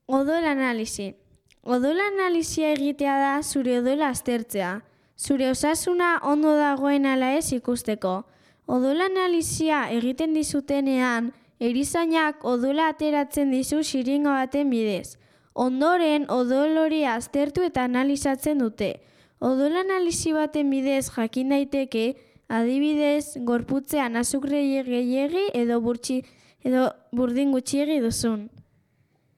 Odol analisi. Odol analisia egitea da zure odola aztertzea. Zure osasuna ondo dagoen ala ez ikusteko. Odol analisia egiten dizutenean, erizainak odola ateratzen dizu xiringa baten bidez. Ondoren, odol hori aztertu eta analizatzen dute. Odol analisi baten bidez jakin daiteke, adibidez, gorputzean azukre gehiegi edo burdin gutxiegi duzun.